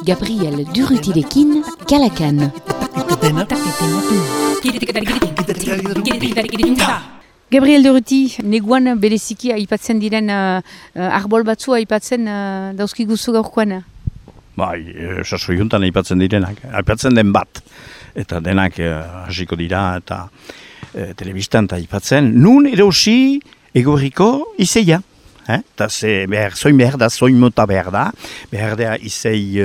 Gabriel Durrutirekin, Kalakan. Gabriel Durruti, neguan bereziki aipatzen diren arbol batzu aipatzen dauzkiguzu gaurkoan. Bai, sasoi juntan aipatzen direnak, aipatzen den bat. Eta denak hasiko dira eta telebistan aipatzen. Nun erosi egorriko izeia. Eta zoin behar da, zoin mota behar da izei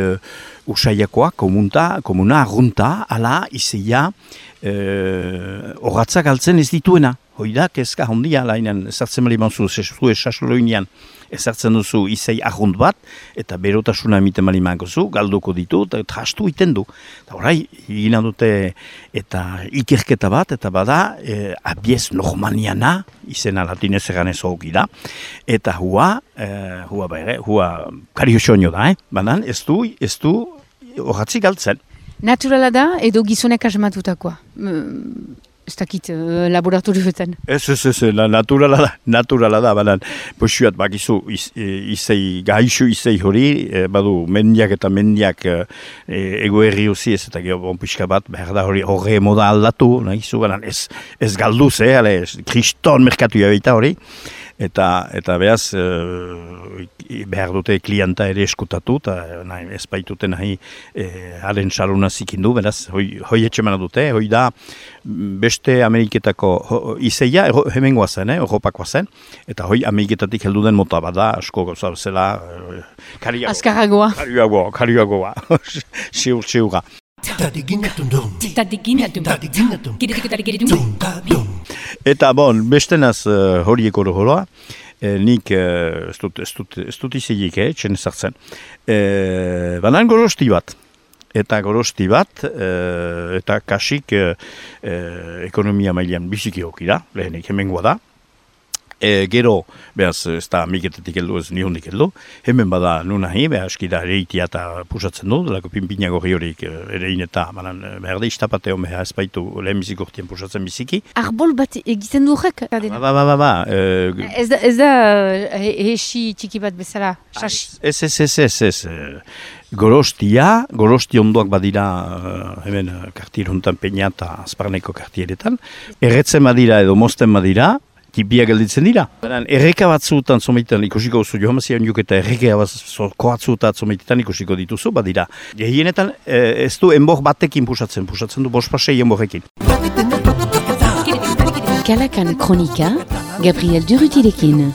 usaiakoa, komuna, arrunta, ala izeia horatzak altzen ez dituena. Hoida, kezka hondia, lainen ezartzen mali manzu, zue sasoloinean ezartzen duzu izei arrunt bat, eta berotasuna emiten mali mangozu, galduko ditu, eta trastu iten du. Eta horai, egina dute eta ikerketa bat, eta bada, abiez normaniana, izena latinez eganez hoki da, eta hua kariosoño da, banan ez du horatzik galtzen. Naturala da, edo gizonek asmatutakoa? Ez dakit laboratorioetan. Ez, naturala da, banan, posuat bakizu izei, gaixo izei hori, badu mendiak eta mendiak egoerri hozi ez, eta bon pixka bat, behar da hori horre moda aldatu, nahizu, banan, ez galduz, kriston merkatu jabeita hori, eta behaz, behar dute klienta ere eskutatu, eta ez baitute nahi haren saluna zikindu, beraz, hoi etxemana dute, hoi da beste Ameriketako izeia, hemengoa zen, Europakoa zen, eta hoi Ameriketatik heldu den mota bada, asko gauza zela, Azkarragoa. Kariagoa, siurra. Eta bon, bestenaz horiek horoa, nik ez dut izegik, txen ezartzen. Banan gorosti bat. Eta gorosti bat, eta kasik ekonomia mailean biziki hokira, lehenik hemengoa da. Gero, behaz, ez da amiketetik heldu, ez nihondik heldu. Hemen bada nunahi, behaz, eskida ereitia eta pusatzen du, delako pinpina gorri horik erein eta, behar da, istapateo behar ez baitu lehenbizik urtien pusatzen biziki. Arbol bat egiten du horrek? Ez da hesi txiki bat bezala, sasi? Ez. Gorosti ondoak badira hemen kartier hontan peina eta azparneko kartieretan. Erretzen badira edo mozten badira, tipia gelditzen dira. Erreka batzuetan zomaitan ikusiko duzu, johamazioan eta erreka batzuetan zomaitan ikusiko dituzu, badira. Gehienetan ez du enbor batekin pusatzen du bospasei enborrekin. Kalakan kronika, Gabriel Durrutirekin.